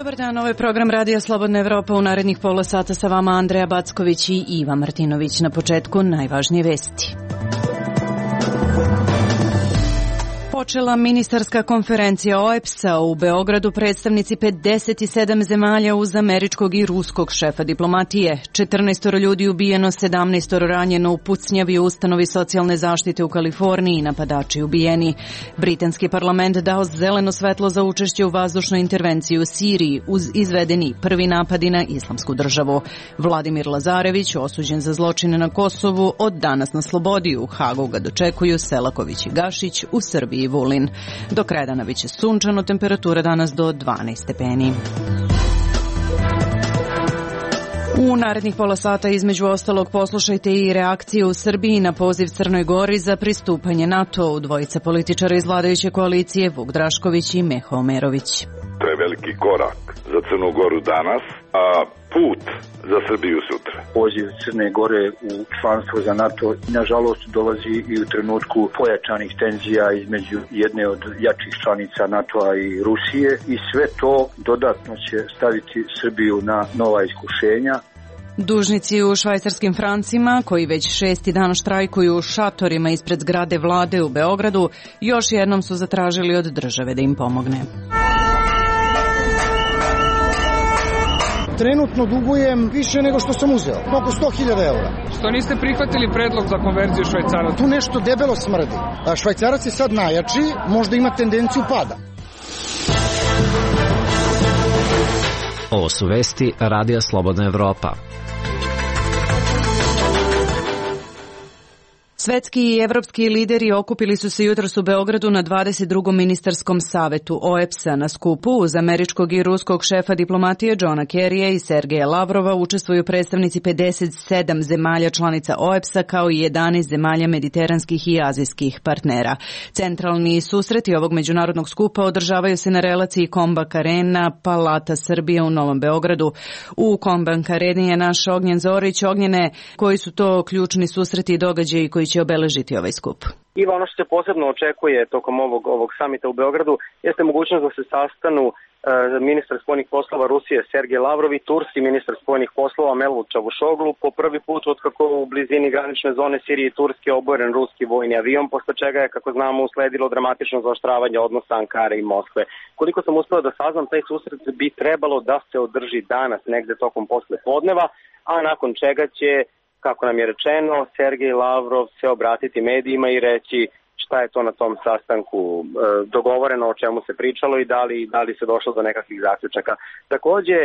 Dobar dan, ovo je program Radija Slobodna Evropa. U narednih pola sata sa vama Andreja Backović i Iva Martinović. Na početku najvažnije vesti. Počela ministarska konferencija OEBS-a u Beogradu. Predstavnici 57 zemalja uz američkog i ruskog šefa diplomatije. 14 ljudi ubijeno, 17 ranjeno u pucnjavi u ustanovi socijalne zaštite u Kaliforniji, napadači ubijeni. Britanski parlament dao zeleno svetlo za učešće u vazdušnoj intervenciji u Siriji uz izvedeni prvi napadi na Islamsku državu. Vladimir Lazarević, osuđen za zločine na Kosovu, od danas na slobodi. U Hagu ga dočekuju Selaković i Gašić, u Srbiji Vulin. Do kraja dana biće sunčano, temperatura danas do 12 stepeni. U narednih pola sata između ostalog poslušajte i reakcije u Srbiji na poziv Crnoj Gori za pristupanje NATO-u. Dvojica političara iz vladajuće koalicije, Vuk Drašković i Meho Omerović. To je veliki korak za Crnu Goru danas, a put za Srbiju sutra. Poziv Crne Gore u članstvo za NATO nažalost dolazi i u trenutku pojačanih tenzija između jedne od jačih članica NATO-a i Rusije i sve to dodatno će staviti Srbiju na nova iskušenja. Dužnici u švajcarskim francima, koji već 6. dan štrajkuju u šatorima ispred zgrade vlade u Beogradu, još jednom su zatražili od države da im pomogne. Trenutno dugujem više nego što sam uzeo, oko 100.000 eura. Što niste prihvatili predlog za konverziju Švajcaraca? Tu nešto debelo smrdi. Švajcarac je sad najjači, možda ima tendenciju pada. Ovo su vesti Radija Slobodna Evropa. Svetski i evropski lideri okupili su se jutros u Beogradu na 22. ministarskom savetu OEBS-a. Na skupu uz američkog i ruskog šefa diplomatije Johna Kerrya i Sergeja Lavrova učestvuju predstavnici 57 zemalja članica OEBS-a kao i 11 zemalja mediteranskih i azijskih partnera. Centralni susreti ovog međunarodnog skupa održavaju se na relaciji Kombank Arena, Palata Srbije u Novom Beogradu. U Kombank Areni je naš Ognjen Zorić. Ognjene, koji su to ključni susreti i događaji koji će obeležiti ovaj skup? Iva, ono što se posebno očekuje tokom ovog samita u Beogradu jeste mogućnost da se sastanu ministar spoljnih poslova Rusije Sergej Lavrov i turski ministar spoljnih poslova Mevlut Čavušoglu. Po prvi put otkako u blizini granične zone Sirije i Turske oboren ruski vojni avion, posle čega je, kako znamo, usledilo dramatično zaoštravanje odnosa Ankare i Moskve. Koliko sam uspeo da saznam, taj susret bi trebalo da se održi danas negde tokom posle podneva, a nakon čega će, kako nam je rečeno, Sergej Lavrov se obratiti medijima i reći šta je to na tom sastanku dogovoreno, o čemu se pričalo i da li se došlo do nekakvih zaključaka. Takođe,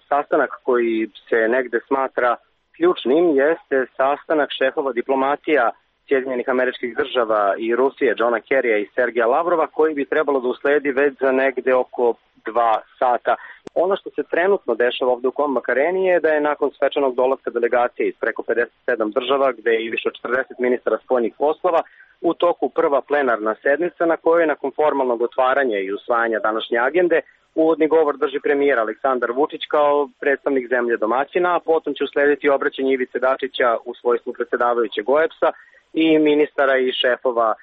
sastanak koji se negde smatra ključnim jeste sastanak šefova diplomatija Sjedinjenih Američkih Država i Rusije, Johna Kerrya i Sergeja Lavrova, koji bi trebalo da usledi već za negde oko 2 sata. Ono što se trenutno dešava ovde u Kombank Areni je da je nakon svečanog dolaska delegacije iz preko 57 država, gde je i više od 40 ministara spoljnih poslova, u toku prva plenarna sednica na kojoj nakon formalnog otvaranja i usvajanja današnje agende uvodni govor drži premijer Aleksandar Vučić kao predstavnik zemlje domaćina, a potom će uslediti obraćanje Ivice Dačića u svojstvu predsedavajućeg OEBS-a i ministara i šefova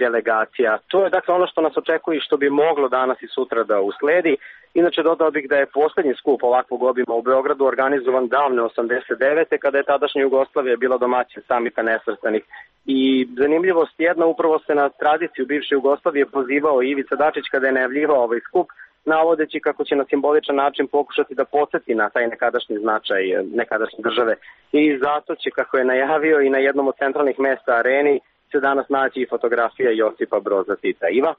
delegacija. To je dakle ono što nas očekuje i što bi moglo danas i sutra da usledi. Inače, dodao bih da je poslednji skup ovakvog obima u Beogradu organizovan davne 89. kada je tadašnja Jugoslavija bila domaćin samita nesvrstanih. I zanimljivost jedna, upravo se na tradiciju bivše Jugoslavije pozivao Ivica Dačić kada je najavljivao ovaj skup, navodeći kako će na simboličan način pokušati da podsjeti na taj nekadašnji značaj nekadašnje države. I zato će, kako je najavio, i na jednom od centralnih mesta Areni se danas naći i fotografija Josipa Broza Tita. Iva?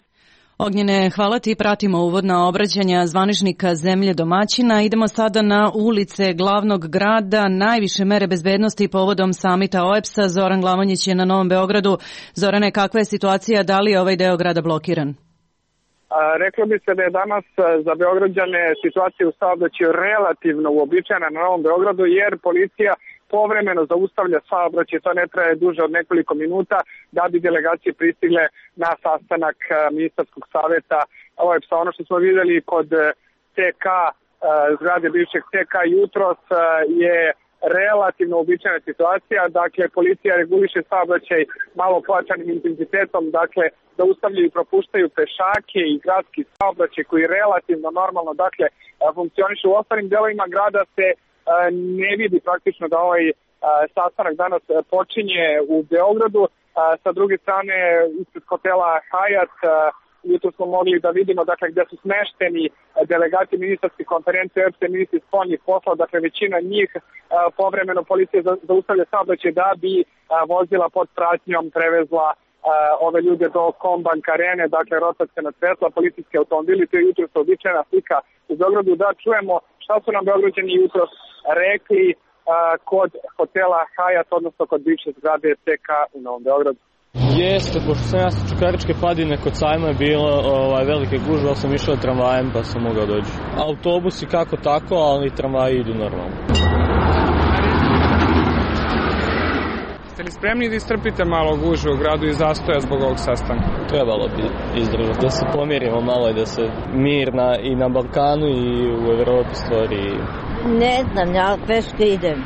Ognjene, hvala ti. Pratimo uvodna obraćanja zvaničnika zemlje domaćina. Idemo sada na ulice glavnog grada. Najviše mere bezbednosti povodom samita OEBS-a. Zoran Glavonjić je na Novom Beogradu. Zorane, kakva je situacija? Da li je ovaj deo grada blokiran? Reklo bi se da je danas za Beograđane situacija u saobraćaju relativno uobičajena na Novom Beogradu, jer policija povremeno zaustavlja saobraćaj, to ne traje duže od nekoliko minuta, da bi delegacije pristigle na sastanak ministarskog saveta OEBS-a. Ono što smo videli kod TK, zgrade bivšeg TK jutros, je relativno uobičajena situacija, dakle policija reguliše saobraćaj malo pojačanim intenzitetom, dakle zaustavljaju i propuštaju pešake i gradski saobraćaj koji relativno normalno dakle funkcioniše. U ostalim delovima grada se ne vidi praktično da ovaj sastanak danas počinje u Beogradu. Sa druge strane, ispred hotela Hyatt, jutro smo mogli da vidimo dakle, gde su smešteni delegati ministarske konferencije OEBS-a i ministri spoljnih poslova, dakle većina njih povremeno policija zaustavlja saobraćaj da bi vozila pod pratnjom prevezla ove ljude do Kombank arene, dakle rotaciona svetla, policijski automobili, to je jutro običajna slika u Beogradu. Da čujemo šta su nam Beograđani jutro rekli kod hotela Hyatt, odnosno kod bivše zgrade TK u Novom Beogradu. Jeste, pošto sam ja sa Čukaričke padine kod sajma je bilo velike gužve, ali sam išao tramvajem pa sam mogao doći. Autobusi kako tako, ali tramvaji idu normalno. Ste li spremni da istrpite malo gužve u gradu i zastoja zbog ovog sastanka? Trebalo bi izdržati, da se pomirimo malo i da se mir i na Balkanu i u Evropi stvori. Ne znam, ja peške idem.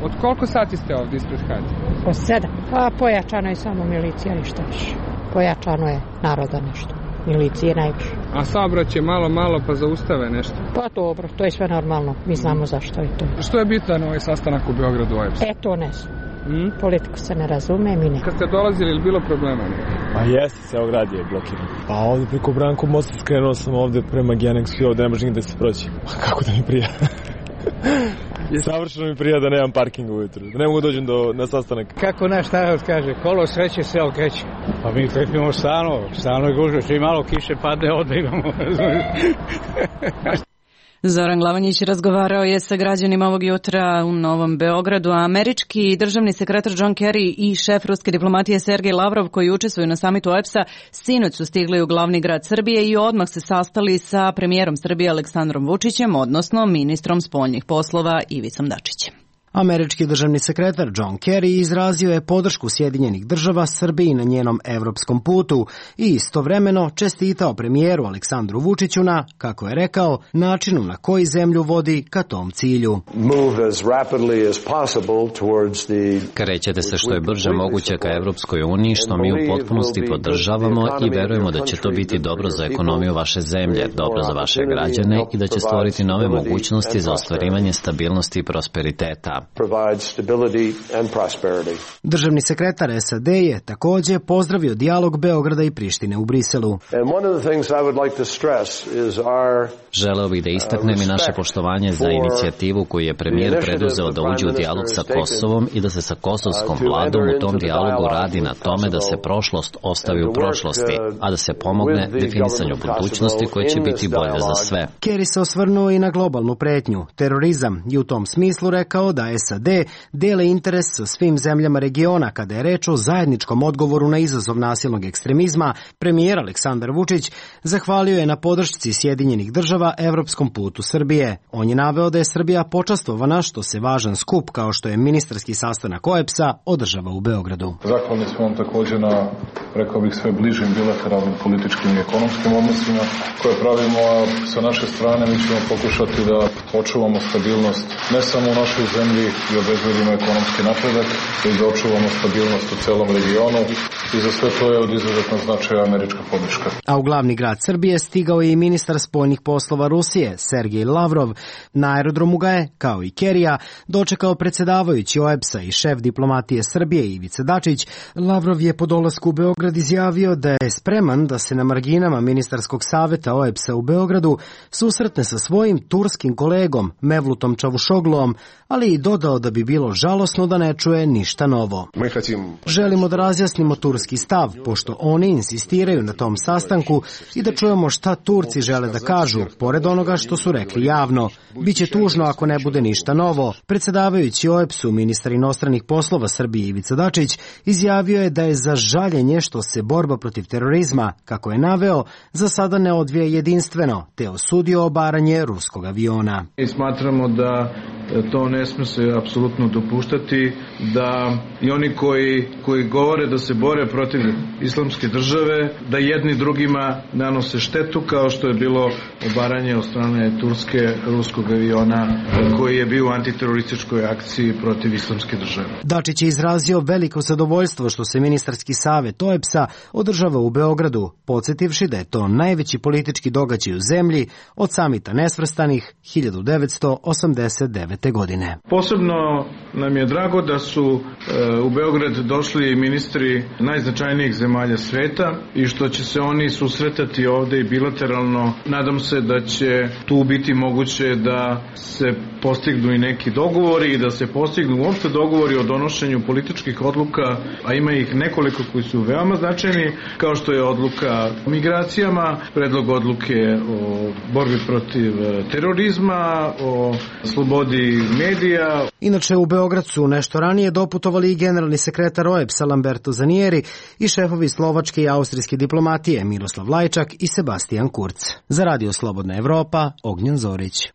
Od koliko sati ste ovdje ispred Hyatt? Od 7. Pa pojačano je samo milicija, ništa više. Pojačano je naroda nešto. Milicije najviše. A saobraćaj malo pa zaustave nešto? Pa dobro, to je sve normalno. Mi znamo zašto je to. Što je bitno na ovaj sastanak u Beogradu OEBS? To ne znam. Politiku se ne razume, mi ne. Kad ste dolazili, ili bilo problema? Pa jeste, ceo grad je blokiran. Pa ovdje preko Branko mosta skrenuo sam ovdje prema Genexu i ovdje ne može nigde se proći. Pa kako da mi prija? Savršeno mi prija da nemam parking ujutru, da ne mogu dođem na sastanak. Kako naš narod kaže, kolo sreće se okreće. Pa mi trpimo stalno je gužve, čim malo kiše padne, odbegamo. Zoran Glavanjić razgovarao je sa građanima ovog jutra u Novom Beogradu, a američki državni sekretar John Kerry i šef ruske diplomatije Sergej Lavrov, koji učestvuju na samitu OEBS-a, sinoć su stigli u glavni grad Srbije i odmah se sastali sa premijerom Srbije Aleksandrom Vučićem, odnosno ministrom spoljnih poslova Ivicom Dačićem. Američki državni sekretar John Kerry izrazio je podršku Sjedinjenih država Srbiji na njenom evropskom putu i istovremeno čestitao premijeru Aleksandru Vučiću na, kako je rekao, načinu na koji zemlju vodi ka tom cilju. Krećete se što je brže moguće ka Evropskoj uniji, što mi u potpunosti podržavamo i verujemo da će to biti dobro za ekonomiju vaše zemlje, dobro za vaše građane i da će stvoriti nove mogućnosti za ostvarivanje stabilnosti i prosperiteta. Državni sekretar SAD je također pozdravio dijalog Beograda i Prištine u Briselu. Želeo bih da istaknem i naše poštovanje za inicijativu koju je premijer preduzeo da uđe u dijalog sa Kosovom i da se sa kosovskom vladom u tom dijalogu radi na tome da se prošlost ostavi u prošlosti, a da se pomogne definisanju budućnosti koja će biti bolja za sve. Kerry se osvrnuo i na globalnu pretnju, terorizam, i u tom smislu rekao da SAD dele interes sa svim zemljama regiona kada je reč o zajedničkom odgovoru na izazov nasilnog ekstremizma. Premijer Aleksandar Vučić zahvalio je na podršci Sjedinjenih država evropskom putu Srbije. On je naveo da je Srbija počastvovana što se važan skup kao što je ministarski sastanak OEBS-a održava u Beogradu. Zahvalni smo vam također na, rekao bih, sve bližim bilateralnim političkim i ekonomskim odnosima koje pravimo, a sa naše strane mi ćemo pokušati da očuvamo stabilnost ne samo u našoj zemlji i obezbedimo ekonomski napredak, već da očuvamo stabilnost u celom regionu i za sve to je od izuzetnog značaja američka podrška. A u glavni grad Srbije stigao je i ministar spoljnih poslova Rusije, Sergej Lavrov. Na aerodromu ga je, kao i Kerija, dočekao predsjedavajući OEBS-a i šef diplomatije Srbije Ivica Dačić. Lavrov je po dolasku u Beograd izjavio da je spreman da se na marginama ministarskog saveta OEBS-a u Beogradu susretne sa svojim turskim kolegom Mevlutom Čavušoglom, ali i dodao da bi bilo žalosno da ne čuje ništa novo. Želimo da razjasnimo turski stav, pošto oni insistiraju na tom sastanku i da čujemo šta Turci žele da kažu, pored onoga što su rekli javno. Biće tužno ako ne bude ništa novo. Predsjedavajući OEBS-u, ministar inostranih poslova Srbije Ivica Dačić izjavio je da je za žaljenje što se borba protiv terorizma, kako je naveo, za sada ne odvija jedinstveno, te osudio obaranje ruskog aviona. I smatramo da to ne sme se apsolutno dopuštati, da i oni koji govore da se bore protiv islamske države, da jedni drugima nanose štetu, kao što je bilo obaranje od strane Turske ruskog aviona koji je bio u antiterorističkoj akciji protiv islamske države. Dačić je izrazio veliko zadovoljstvo što se ministarski savet OEBS-a održava u Beogradu, podsjetivši da je to najveći politički događaj u zemlji od samita nesvrstanih 1989. godine. Posebno nam je drago da su u Beograd došli ministri najznačajnijih zemalja sveta i što će se oni susretati ovde i bilateralno. Nadam se da će tu biti moguće da se postignu i neki dogovori i da se postignu uopšte dogovori o donošenju političkih odluka, a ima ih nekoliko koji su veoma značajni, kao što je odluka o migracijama, predlog odluke o borbi protiv terorizma, o slobodi medija. Inače, u Beograd su nešto ranije doputovali i generalni sekretar OEBS-a Lamberto Zanieri i šefovi slovačke i austrijske diplomatije Miroslav Lajčak i Sebastian Kurz. Za Radio Slobodna Evropa, Ognjen Zorić.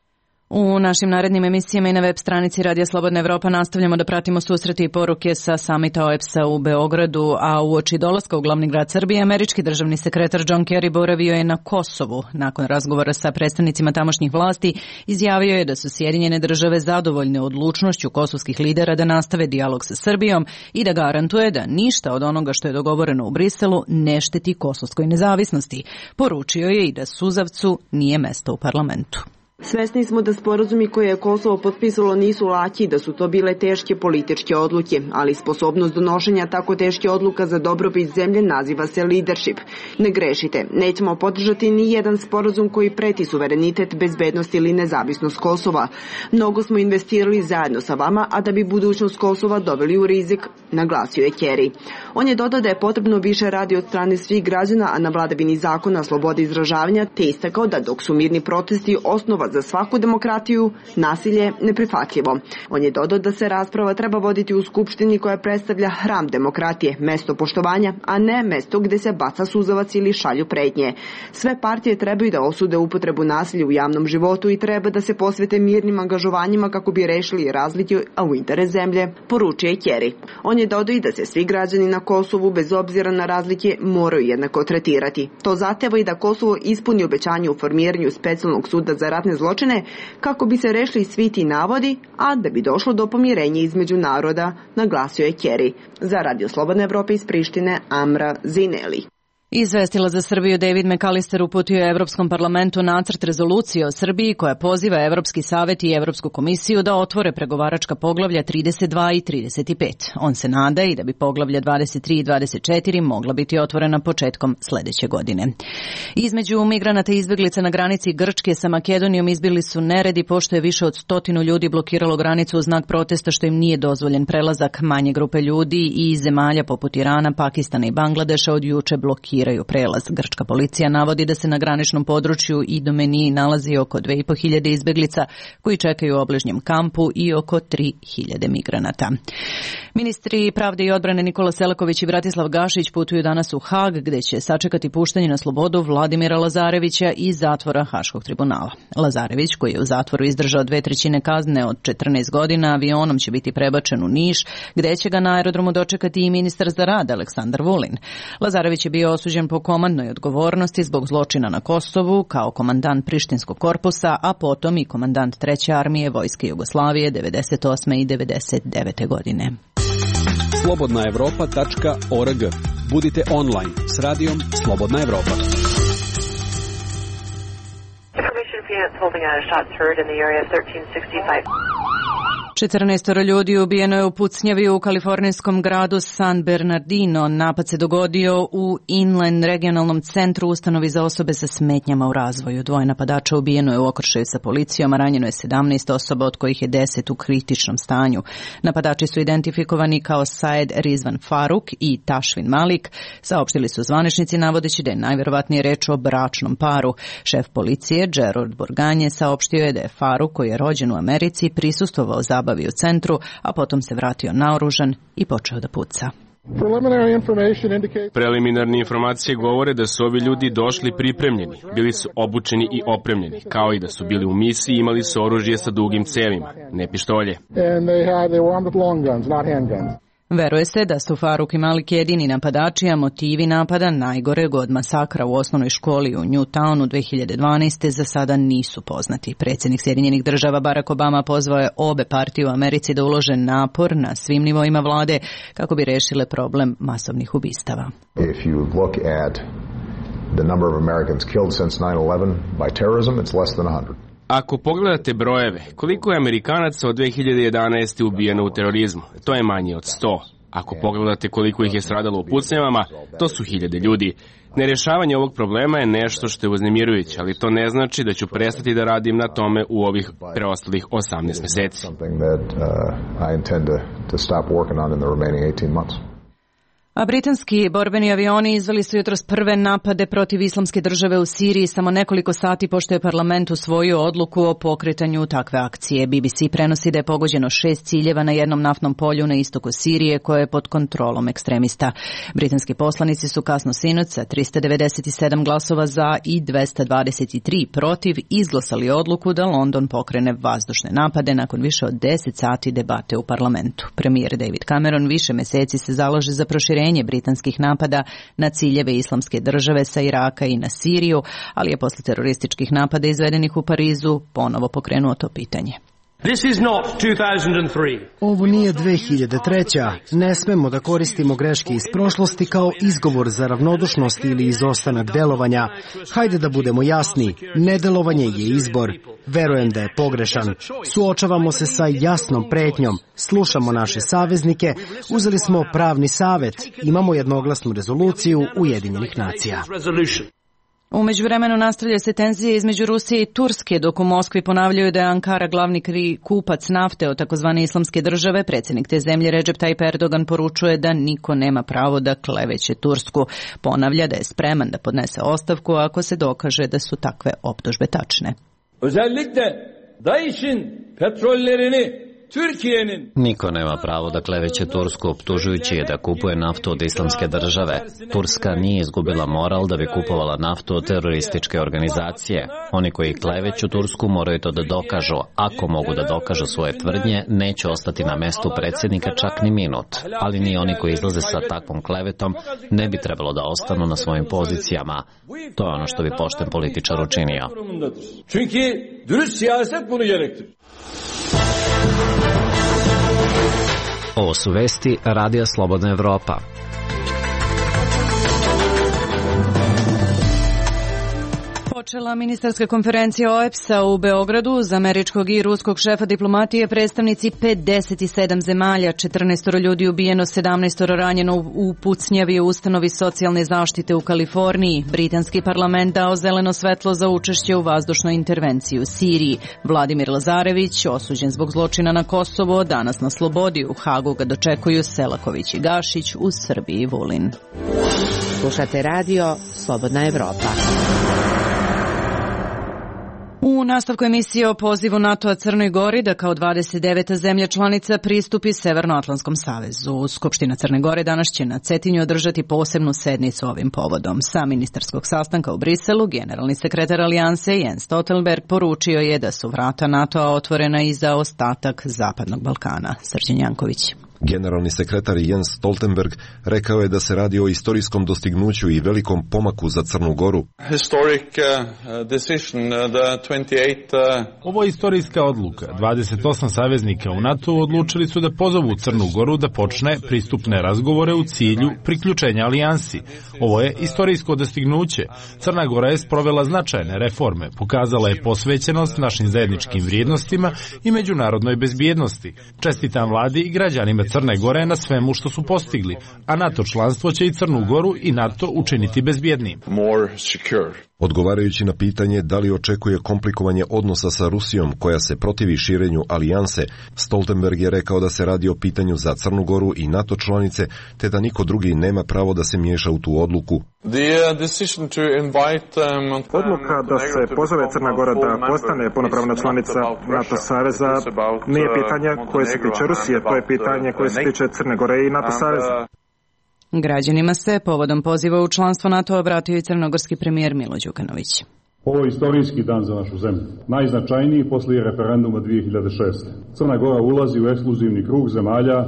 U našim narednim emisijama i na web stranici Radija Slobodna Evropa nastavljamo da pratimo susrete i poruke sa samita OEBS-a u Beogradu, a uoči dolaska u glavni grad Srbije, američki državni sekretar John Kerry boravio je na Kosovu. Nakon razgovora sa predstavnicima tamošnjih vlasti, izjavio je da su Sjedinjene države zadovoljne odlučnošću kosovskih lidera da nastave dijalog sa Srbijom i da garantuje da ništa od onoga što je dogovoreno u Briselu ne šteti kosovskoj nezavisnosti. Poručio je i da suzavcu nije mesto u parlamentu. Svesni smo da sporazumi koje je Kosovo potpisalo nisu laki i da su to bile teške političke odluke, ali sposobnost donošenja tako teške odluka za dobrobit zemlje naziva se leadership. Ne grešite, nećemo podržati ni jedan sporazum koji preti suverenitet, bezbednost ili nezavisnost Kosova. Mnogo smo investirali zajedno sa vama, a da bi budućnost Kosova doveli u rizik, naglasio je Kerry. On je dodao da je potrebno više radi od strane svih građana, a na vladavini zakona, slobode izražavanja, te istakao da dok su mirni protesti osnova za svaku demokratiju, nasilje neprihvatljivo. On je dodao da se rasprava treba voditi u Skupštini koja predstavlja hram demokratije, mesto poštovanja, a ne mesto gde se baca suzavac ili šalju pretnje. Sve partije trebaju da osude upotrebu nasilja u javnom životu i treba da se posvete mirnim angažovanjima kako bi rešili razlike, a u interes zemlje, poručuje Kerry. On je dodao i da se svi građani na Kosovu, bez obzira na razlike, moraju jednako tretirati. To zahteva i da Kosovo ispuni obećanje u formiranju specijalnog suda za ratne zločine kako bi se rešili svi ti navodi, a da bi došlo do pomirenja između naroda, naglasio je Kerry. Za Radio Slobodne Evrope iz Prištine, Amra Zineli. Izvestila za Srbiju David McAllister uputio je Evropskom parlamentu nacrt rezolucije o Srbiji koja poziva Evropski savet i Evropsku komisiju da otvore pregovaračka poglavlja 32 i 35. On se nada i da bi poglavlja 23 i 24 mogla biti otvorena početkom sledeće godine. Između migranata i izbeglica na granici Grčke sa Makedonijom izbili su neredi pošto je više od 100 ljudi blokiralo granicu u znak protesta što im nije dozvoljen prelazak. Manje grupe ljudi i zemalja poput Irana, Pakistana i Bangladeša od juče blokiraju prelaz. Grčka policija navodi da se na graničnom području Idomeniji nalazi oko 2500 izbeglica koji čekaju u obližnjem kampu i oko 3000 migranata. Ministri pravde i odbrane Nikola Selaković i Bratislav Gašić putuju danas u Hag gde će sačekati puštanje na slobodu Vladimira Lazarevića iz zatvora Haškog tribunala. Lazarević, koji je u zatvoru izdržao 2/3 kazne od 14 godina, avionom će biti prebačen u Niš, gde će ga na aerodromu dočekati i ministar za rad Aleksandar Vulin. Lazarević je bio osuđen po komandnoj odgovornosti zbog zločina na Kosovu kao komandant Prištinskog korpusa, a potom i komandant 3. armije Vojske Jugoslavije 98. i 99. godine. slobodnaevropa.org. Budite online s radijom Slobodna Evropa. 14 ljudi ubijeno je u pucnjavi u kalifornijskom gradu San Bernardino. Napad se dogodio u Inland regionalnom centru ustanovi za osobe sa smetnjama u razvoju. 2 napadača ubijeno je u okršaju sa policijom, a ranjeno je 17 osoba, od kojih je 10 u kritičnom stanju. Napadači su identifikovani kao Saed Rizvan Faruk i Tašvin Malik. Saopštili su zvaničnici navodeći da je najverovatnije reč o bračnom paru. Šef policije Gerard Borganje saopštio je da je Faruk, koji je rođen u Americi, prisustvovao zabavi u centru, a potom se vratio naoružan i počeo da puca. Preliminarne informacije govore da su ovi ljudi došli pripremljeni, bili su obučeni i opremljeni, kao i da su bili u misiji i imali su oružje sa dugim cevima, ne pištolje. Veruje se da su Faruk i Malik jedini napadači, a motivi napada najgoreg od masakra u osnovnoj školi u Newtownu 2012. za sada nisu poznati. Predsjednik Sjedinjenih Država Barack Obama pozvao je obe partije u Americi da ulože napor na svim nivoima vlade kako bi rešile problem masovnih ubistava. If you look at the number of Americans killed since 9/11 by terrorism, it's less than 100. Ako pogledate brojeve, koliko je Amerikanaca od 2011. ubijeno u terorizmu, to je manje od 100. Ako pogledate koliko ih je stradalo u pucnjavama, to su hiljade ljudi. Nerešavanje ovog problema je nešto što je uznemirujuće, ali to ne znači da ću prestati da radim na tome u ovih preostalih 18 meseci. A britanski borbeni avioni izveli su jutros prve napade protiv Islamske države u Siriji samo nekoliko sati pošto je parlament usvojio odluku o pokretanju takve akcije. BBC prenosi da je pogođeno 6 ciljeva na jednom naftnom polju na istoku Sirije koje je pod kontrolom ekstremista. Britanski poslanici su kasno sinoć sa 397 glasova za i 223 protiv izglasali odluku da London pokrene vazdušne napade nakon više od 10 sati debate u parlamentu. Premijer David Cameron više meseci se zalaže za proširenje britanskih napada na ciljeve Islamske države sa Iraka i na Siriju, ali je posle terorističkih napada izvedenih u Parizu ponovo pokrenuo to pitanje. This is not 2003. Ovo nije 2003. Ne smemo da koristimo greške iz prošlosti kao izgovor za ravnodušnost ili izostanak delovanja. Hajde da budemo jasni, nedelovanje je izbor. Verujem da je pogrešan. Suočavamo se sa jasnom pretnjom. Slušamo naše saveznike. Uzeli smo pravni savet. Imamo jednoglasnu rezoluciju Ujedinjenih nacija. U međuvremenu nastavljaju se tenzije između Rusije i Turske, dok u Moskvi ponavljaju da je Ankara glavni kupac nafte od takozvane Islamske države. Predsjednik te zemlje Recep Tayyip Erdogan poručuje da niko nema pravo da kleveće Tursku. Ponavlja da je spreman da podnese ostavku ako se dokaže da su takve optužbe tačne. Özellikle DAEŞ'in petrollerini Niko nema pravo da kleveće Tursku optužujući je da kupuje naftu od Islamske države. Turska nije izgubila moral da bi kupovala naftu od terorističke organizacije. Oni koji kleveću Tursku moraju to da dokažu. Ako mogu da dokažu svoje tvrdnje, neće ostati na mestu predsjednika čak ni minut. Ali ni oni koji izlaze sa takvom klevetom ne bi trebalo da ostanu na svojim pozicijama. To je ono što bi pošten političar učinio. Ovo su vesti Radija Slobodna Evropa. Počela ministarska konferencija OEBS-a u Beogradu. Uz američkog i ruskog šefa diplomatije predstavnici 57 zemalja, 14 ljudi ubijeno, 17 ranjeno u pucnjavi u ustanovi socijalne zaštite u Kaliforniji. Britanski parlament dao zeleno svetlo za učešće u vazdušnoj intervenciji u Siriji. Vladimir Lazarević, osuđen zbog zločina na Kosovo, danas na slobodi. U Hagu ga dočekuju Selaković i Gašić, u Srbiji Vulin. Slušate radio Slobodna Evropa. U nastavku emisije o pozivu NATO-a Crnoj Gori da kao 29. zemlja članica pristupi Severnoatlantskom savezu. Skupština Crne Gore danas će na Cetinju održati posebnu sednicu ovim povodom. Sa ministarskog sastanka u Briselu generalni sekretar Alijanse Jens Stoltenberg poručio je da su vrata NATO-a otvorena i za ostatak Zapadnog Balkana. Srđan Janković. Generalni sekretar Jens Stoltenberg rekao je da se radi o istorijskom dostignuću i velikom pomaku za Crnu Goru. Ovo je istorijska odluka. 28 saveznika u NATO odlučili su da pozovu Crnu Goru da počne pristupne razgovore u cilju priključenja alijansi. Ovo je istorijsko dostignuće. Crna Gora je sprovela značajne reforme, pokazala je posvećenost našim zajedničkim vrijednostima i međunarodnoj bezbjednosti. Čestitam vladi i građanima Crne Gore na svemu što su postigli, a NATO članstvo će i Crnu Goru i NATO učiniti bezbjednijim. Odgovarajući na pitanje da li očekuje komplikovanje odnosa sa Rusijom koja se protivi širenju alijanse, Stoltenberg je rekao da se radi o pitanju za Crnu Goru i NATO članice, te da niko drugi nema pravo da se miješa u tu odluku. Odluka da se pozove Crna Gora da postane punopravna članica NATO saveza nije pitanje koje se tiče Rusije, to je pitanje koje se tiče Crne Gore i NATO saveza. Građanima se povodom poziva u članstvo NATO obratio i crnogorski premijer Milo Đukanović. Ovo je istorijski dan za našu zemlju. Najznačajniji poslije referenduma 2006. Crna Gora ulazi u ekskluzivni krug zemalja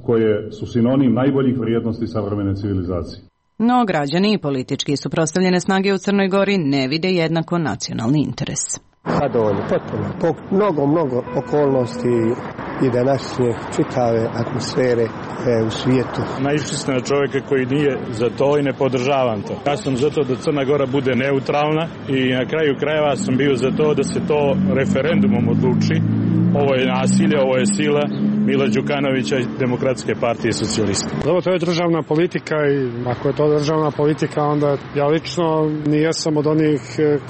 koje su sinonim najboljih vrijednosti savremene civilizacije. No, građani i politički suprotstavljene snage u Crnoj Gori ne vide jednako nacionalni interes. Zadovoljno, potpuno. Po mnogo okolnosti i današnje čitave atmosfere u svijetu. Naišli ste na čovjeka koji nije za to i ne podržavam to. Ja sam za to da Crna Gora bude neutralna i na kraju krajeva sam bio za to da se to referendumom odluči. Ovo je nasilje, ovo je sila Mila Đukanovića i Demokratske partije socijalista. Ovo to je državna politika i ako je to državna politika, onda ja lično nijesam od onih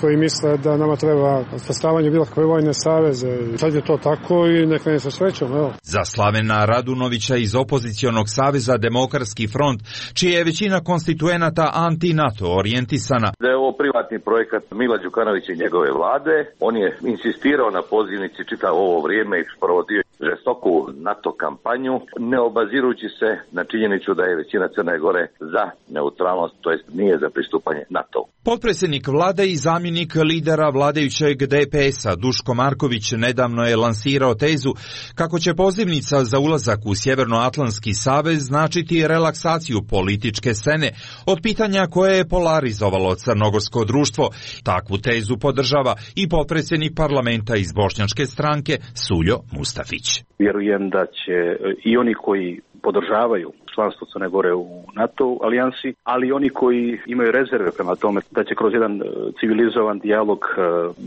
koji misle da nama treba sastavljanje bilo kakve vojne saveze. Sad je to tako i neka ne se srećom. Evo. Za Slavena Radunovića iz opozicionog saveza Demokratski front, čija je većina konstituenata anti-NATO orijentisana. Da je ovo privatni projekat Mila Đukanovića i njegove vlade, on je insistirao na pozivnici čitavo ovo vrijeme i provodio žestoku NATO kampanju, ne obazirujući se na činjenicu da je većina Crne Gore za neutralnost, to jest nije za pristupanje NATO. Potpredsjednik vlade i zamjenik lidera vladajućeg DPS-a Duško Marković nedavno je lansirao tezu kako će pozivnica za ulazak u Sjevernoatlantski savez značiti relaksaciju političke scene od pitanja koje je polarizovalo crnogorsko društvo. Takvu tezu podržava i potpredsjednik parlamenta iz Bošnjačke stranke Suljo Mustafić. Vjerujem da će i oni koji podržavaju članstvo Crne Gore u NATO alijansi, ali i oni koji imaju rezerve prema tome da će kroz jedan civilizovan dijalog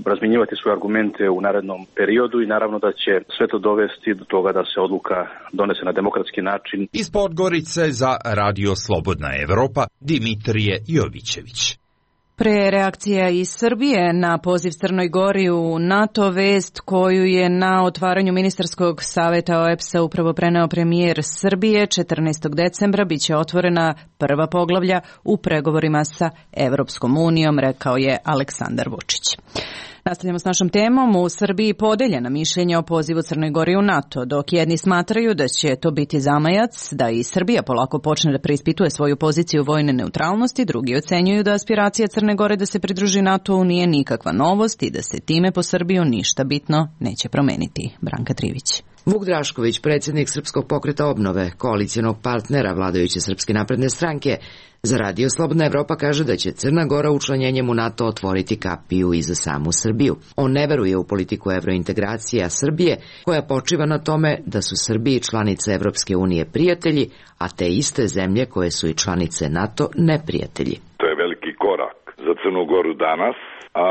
razmjenjivati svoje argumente u narednom periodu i naravno da će sve to dovesti do toga da se odluka donese na demokratski način. Iz Podgorice za Radio Slobodna Evropa Dimitrije Jovićević. Pre reakcija iz Srbije na poziv Crnoj Gori u NATO, vest koju je na otvaranju ministarskog saveta OEBS-a upravo preneo premijer Srbije, 14. decembra biće otvorena prva poglavlja u pregovorima sa Evropskom unijom, rekao je Aleksandar Vučić. Nastavljamo s našom temom. U Srbiji podeljena mišljenja o pozivu Crnoj Gori u NATO, dok jedni smatraju da će to biti zamajac, da i Srbija polako počne da preispituje svoju poziciju vojne neutralnosti, drugi ocenjuju da aspiracija Crne Gore da se pridruži NATO-u nije nikakva novost i da se time po Srbiju ništa bitno neće promeniti. Branka Trivić. Vuk Drašković, predsjednik Srpskog pokreta obnove, koalicijonog partnera vladajuće Srpske napredne stranke, za Radio Slobodna Evropa kaže da će Crna Gora učlanjenjem u NATO otvoriti kapiju i za samu Srbiju. On ne veruje u politiku evrointegracija Srbije, koja počiva na tome da su Srbiji članice Evropske unije prijatelji, a te iste zemlje koje su i članice NATO neprijatelji. To je veliki korak za Crnu Goru danas, a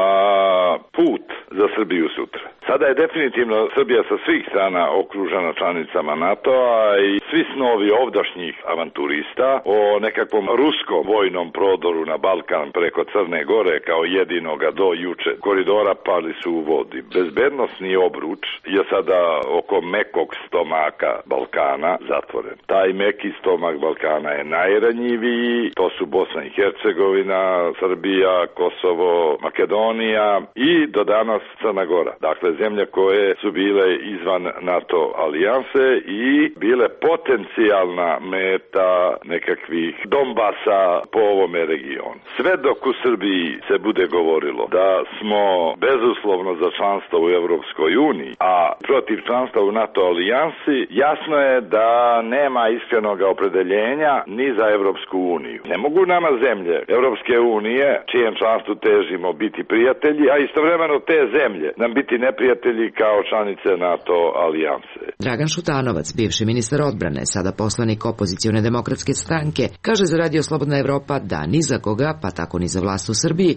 put za Srbiju sutra. Sada je definitivno Srbija sa svih strana okružena članicama NATO-a i svi snovi ovdašnjih avanturista o nekakvom ruskom vojnom prodoru na Balkan preko Crne Gore kao jedinoga do juče koridora pali su u vodi. Bezbednosni obruč je sada oko mekog stomaka Balkana zatvoren. Taj meki stomak Balkana je najranjiviji, to su Bosna i Hercegovina, Srbija, Kosovo, Makedonija i do danas Crna Gora. Dakle, zemlje koje su bile izvan NATO alijanse i bile potencijalna meta nekakvih Donbasa po ovome regionu. Sve dok u Srbiji se bude govorilo da smo bezuslovno za članstvo u Evropskoj uniji, a protiv članstva u NATO alijansi, jasno je da nema iskrenog opredeljenja ni za Evropsku uniju. Ne mogu nama zemlje Evropske unije, čijem članstvu težimo, biti prijatelji, a istovremeno te zemlje nam biti neprijatelji kao članice NATO alijanse. Dragan Šutanovac, bivši ministar odbrane, sada poslanik opozicione demokratske stranke, kaže za Radio Slobodna Evropa da ni za koga, pa tako ni za vlast u Srbiji,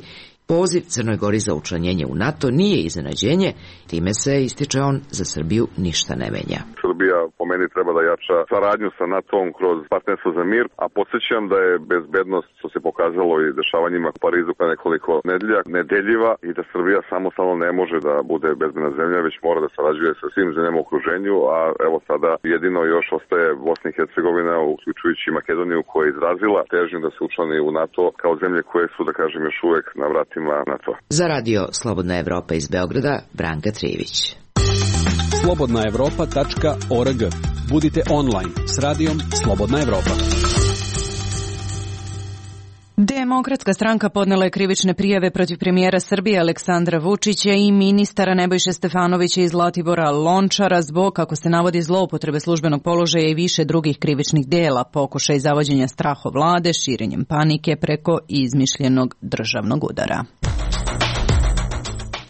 poziv Crnoj Gori za učlanjenje u NATO nije iznenađenje, time se, ističe on, za Srbiju ništa ne menja. Srbija po meni treba da jača saradnju sa NATO-om kroz partnerstvo za mir, a podsjećam da je bezbednost, što se pokazalo i dešavanjima u Parizu kao nekoliko nedelja, nedeljiva i da Srbija samostalno ne može da bude bezbedna zemlja, već mora da sarađuje sa svim zemljama u okruženju, a evo sada jedino još ostaje Bosna i Hercegovina, uključujući Makedoniju, koja je izrazila težnju da se učlani u NATO kao zemlje koje su, da kažem, još uvek na vratima NATO. Za Radio Slobodna Evropa iz Beograda, Branka Trivić. Slobodnaevropa.org. Budite online s Radijom Slobodna Evropa. Demokratska stranka podnela je krivične prijave protiv premijera Srbije Aleksandra Vučića i ministara Nebojše Stefanovića i Zlatibora Lončara zbog, kako se navodi, zloupotrebe službenog položaja i više drugih krivičnih dela, pokušaj zavođenja strahovlade, širenjem panike preko izmišljenog državnog udara.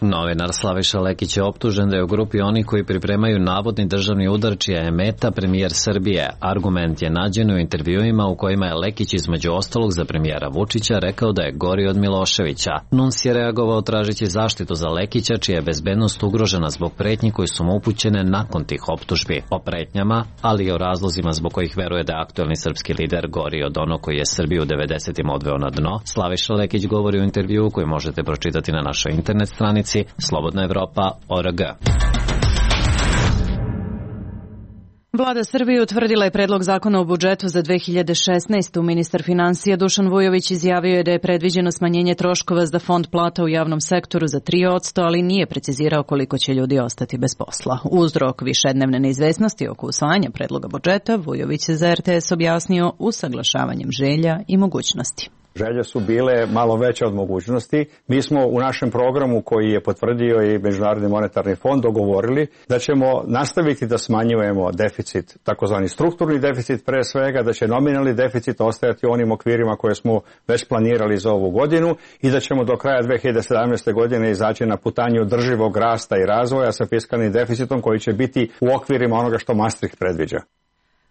Novinar Slaviša Lekić je optužen da je u grupi onih koji pripremaju navodni državni udar čija je meta premijer Srbije. Argument je nađen u intervjuima u kojima je Lekić između ostalog za premijera Vučića rekao da je gori od Miloševića. NUNS je reagovao tražeći zaštitu za Lekića čija je bezbednost ugrožena zbog pretnji koji su mu upućene nakon tih optužbi. O pretnjama, ali i o razlozima zbog kojih veruje da je aktuelni srpski lider gori od onog koji je Srbiju u 90-im odveo na dno, Slaviša Lekić govori u intervjuu koji možete pročitati na našoj internet stranici slobodnaevropa.org. Vlada Srbije utvrdila je predlog zakona o budžetu za 2016. Ministar finansija Dušan Vujović izjavio je da je predviđeno smanjenje troškova za fond plata u javnom sektoru za 3%, ali nije precizirao koliko će ljudi ostati bez posla. Uzrok višednevne neizvesnosti oko usvajanja predloga budžeta Vujović je za RTS objasnio usaglašavanjem želja i mogućnosti. Želje su bile malo veće od mogućnosti. Mi smo u našem programu koji je potvrdio i Međunarodni monetarni fond dogovorili da ćemo nastaviti da smanjujemo deficit, takozvani strukturni deficit pre svega, da će nominalni deficit ostajati u onim okvirima koje smo već planirali za ovu godinu i da ćemo do kraja 2017. godine izaći na putanju održivog rasta i razvoja sa fiskalnim deficitom koji će biti u okvirima onoga što Maastricht predviđa.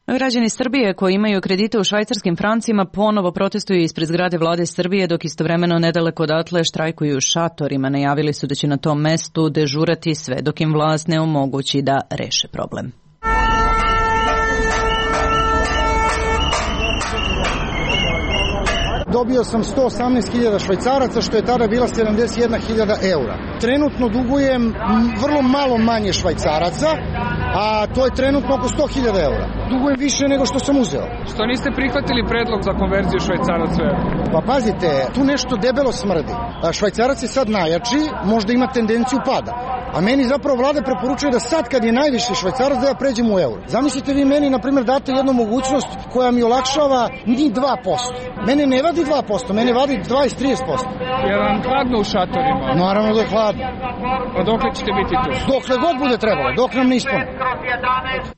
Građani Srbije koji imaju kredite u švajcarskim francima ponovo protestuju ispred zgrade vlade Srbije, dok istovremeno nedaleko odatle štrajkuju u šatorima. Najavili su da će na tom mestu dežurati sve dok im vlast ne omogući da reše problem. Dobio sam 118.000 švajcaraca, što je tada bila 71.000 eura. Trenutno dugujem vrlo malo manje švajcaraca, a to je trenutno oko 100.000 eura. Dugujem više nego što sam uzeo. Što niste prihvatili predlog za konverziju švajcaraca u euro? Pa pazite, tu nešto debelo smrdi. Švajcarac je sad najjači, možda ima tendenciju pada. A meni zapravo vlada preporučuje da sad kad je najviši švajcarac da ja pređem u euro. Zamislite vi meni, na primjer, date jednu mogućnost koja mi olakšava ni 2%. Mene ne vadi 2%, mene vadi 20-30%. Je vam hladno u šatorima? Naravno da je hladno. A dokle ćete biti tu? Dokle god bude trebalo, dok nam ne ispune.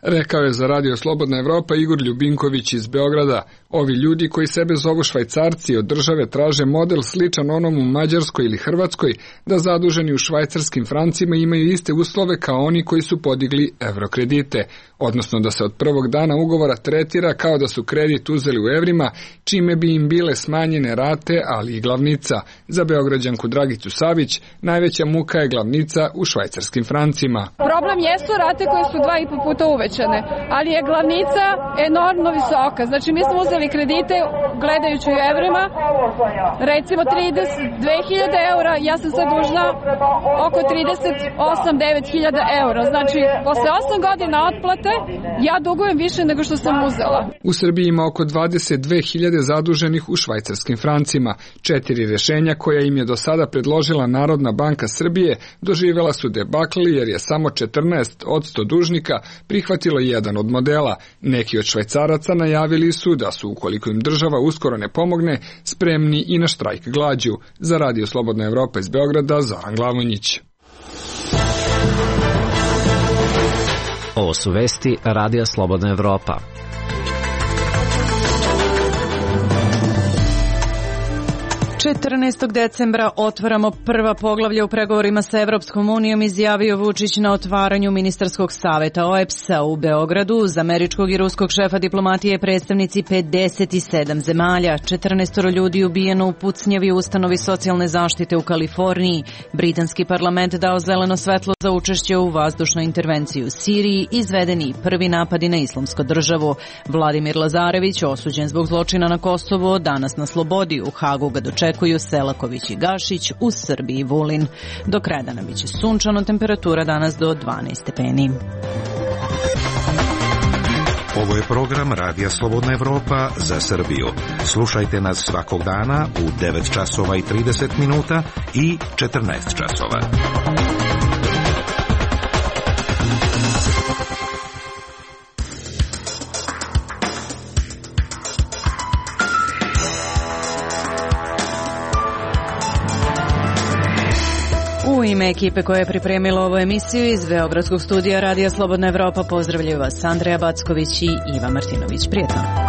Rekao je za Radio Slobodna Evropa Igor Ljubinković iz Beograda. Ovi ljudi koji sebe zovu švajcarci od države traže model sličan onom u Mađarskoj ili Hrvatskoj, da zaduženi u švajcarskim francima imaju iste uslove kao oni koji su podigli evrokredite, odnosno da se od prvog dana ugovora tretira kao da su kredit uzeli u evrima, čime bi im bile smanjene rate, ali i glavnica. Za Beograđanku Dragicu Savić najveća muka je glavnica u švajcarskim francima. Problem jesu rate koje su 2,5 puta uvećane, ali je glavnica enormno visoka. Znači mi smo uzeli kredite gledajući u evrima, recimo 32.000 eura, ja sam sad dužna oko 38-9.000 eura. Znači posle 8 godina otplate ja dugujem više nego što sam uzela. U Srbiji ima oko 22.000 zaduženih u švajcarskim francima. 4 rešenja koja im je do sada predložila Narodna banka Srbije doživjela su debakli jer je samo 14% dužnika prihvatilo jedan od modela. Neki od švajcaraca najavili su da su, ukoliko im država uskoro ne pomogne, spremni i na štrajk glađu. Za Radio Slobodna Evropa iz Beograda, Zoran Glavonjić. Ovo su vesti Radija Slobodna Evropa. 14. decembra otvaramo prva poglavlja u pregovorima sa Evropskom unijom, izjavio Vučić na otvaranju ministarskog saveta OEBS-a u Beogradu. Uz američkog i ruskog šefa diplomatije predstavnici 57 zemalja. 14 ljudi ubijeno u pucnjavi u ustanovi socijalne zaštite u Kaliforniji. Britanski parlament dao zeleno svetlo za učešće u vazdušnoj intervenciji u Siriji. Izvedeni prvi napadi na Islamsku državu. Vladimir Lazarević, osuđen zbog zločina na Kosovu, danas na slobodi. U Hagu ga dočekuju Selaković i Gašić, u Srbiji Vulin. Do kraja dana biće sunčano, temperatura danas do 12 stepeni. Ovo je program Radija Slobodna Evropa za Srbiju. Slušajte nas svakog dana u 9 časova i 30 minuta i 14 časova. ime ekipe koja je pripremila ovu emisiju iz Beogradskog studija Radija Slobodna Evropa pozdravljaju vas Andreja Backović i Iva Martinović. Prijetno.